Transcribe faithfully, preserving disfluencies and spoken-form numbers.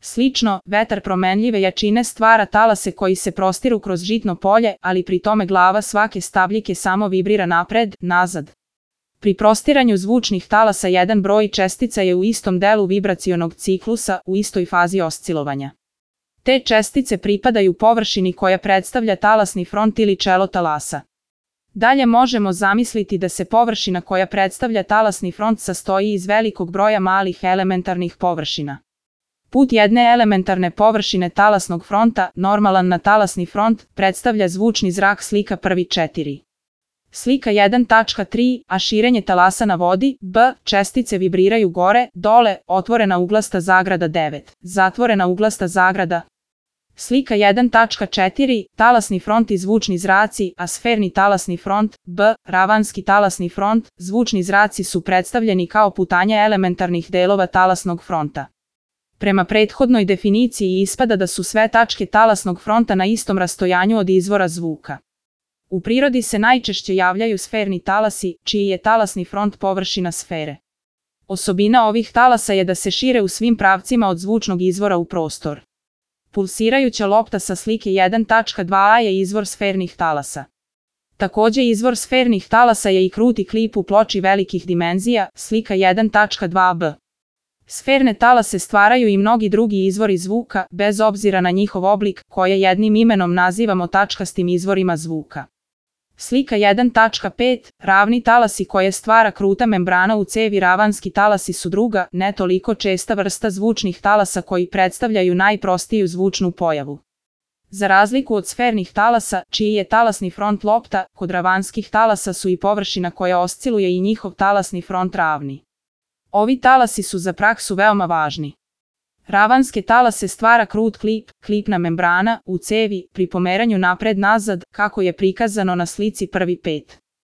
Slično, vetar promenljive jačine stvara talase koji se prostiru kroz žitno polje, ali pri tome glava svake stabljike samo vibrira napred, nazad. Pri prostiranju zvučnih talasa jedan broj čestica je u istom delu vibracionog ciklusa, u istoj fazi oscilovanja. Te čestice pripadaju površini koja predstavlja talasni front ili čelo talasa. Dalje možemo zamisliti da se površina koja predstavlja talasni front sastoji iz velikog broja malih elementarnih površina. Put jedne elementarne površine talasnog fronta, normalan na talasni front, predstavlja zvučni zrak slika prvi četiri. Slika jedan tačka tri, a širenje talasa na vodi, B, čestice vibriraju gore, dole, otvorena uglasta zagrada devet, zatvorena uglasta zagrada. Slika jedan tačka četiri, talasni front i zvučni zraci, a sferni talasni front, B, ravanski talasni front, zvučni zraci su predstavljeni kao putanja elementarnih delova talasnog fronta. Prema prethodnoj definiciji ispada da su sve tačke talasnog fronta na istom rastojanju od izvora zvuka. U prirodi se najčešće javljaju sferni talasi, čiji je talasni front površina sfere. Osobina ovih talasa je da se šire u svim pravcima od zvučnog izvora u prostor. Pulsirajuća lopta sa slike jedan tačka dva je izvor sfernih talasa. Takođe izvor sfernih talasa je i kruti klip u ploči velikih dimenzija, slika jedan tačka dva b. Sferne talase stvaraju i mnogi drugi izvori zvuka, bez obzira na njihov oblik, koje jednim imenom nazivamo tačkastim izvorima zvuka. Slika jedan tačka pet, ravni talasi koje stvara kruta membrana u cevi. Ravanski talasi su druga, ne toliko česta vrsta zvučnih talasa koji predstavljaju najprostiju zvučnu pojavu. Za razliku od sfernih talasa, čiji je talasni front lopta, kod ravanskih talasa su i površina koja osciluje i njihov talasni front ravni. Ovi talasi su za praksu veoma važni. Ravanske talase stvara krut klip, klipna membrana, u cevi, pri pomeranju napred-nazad, kako je prikazano na slici prvi pet.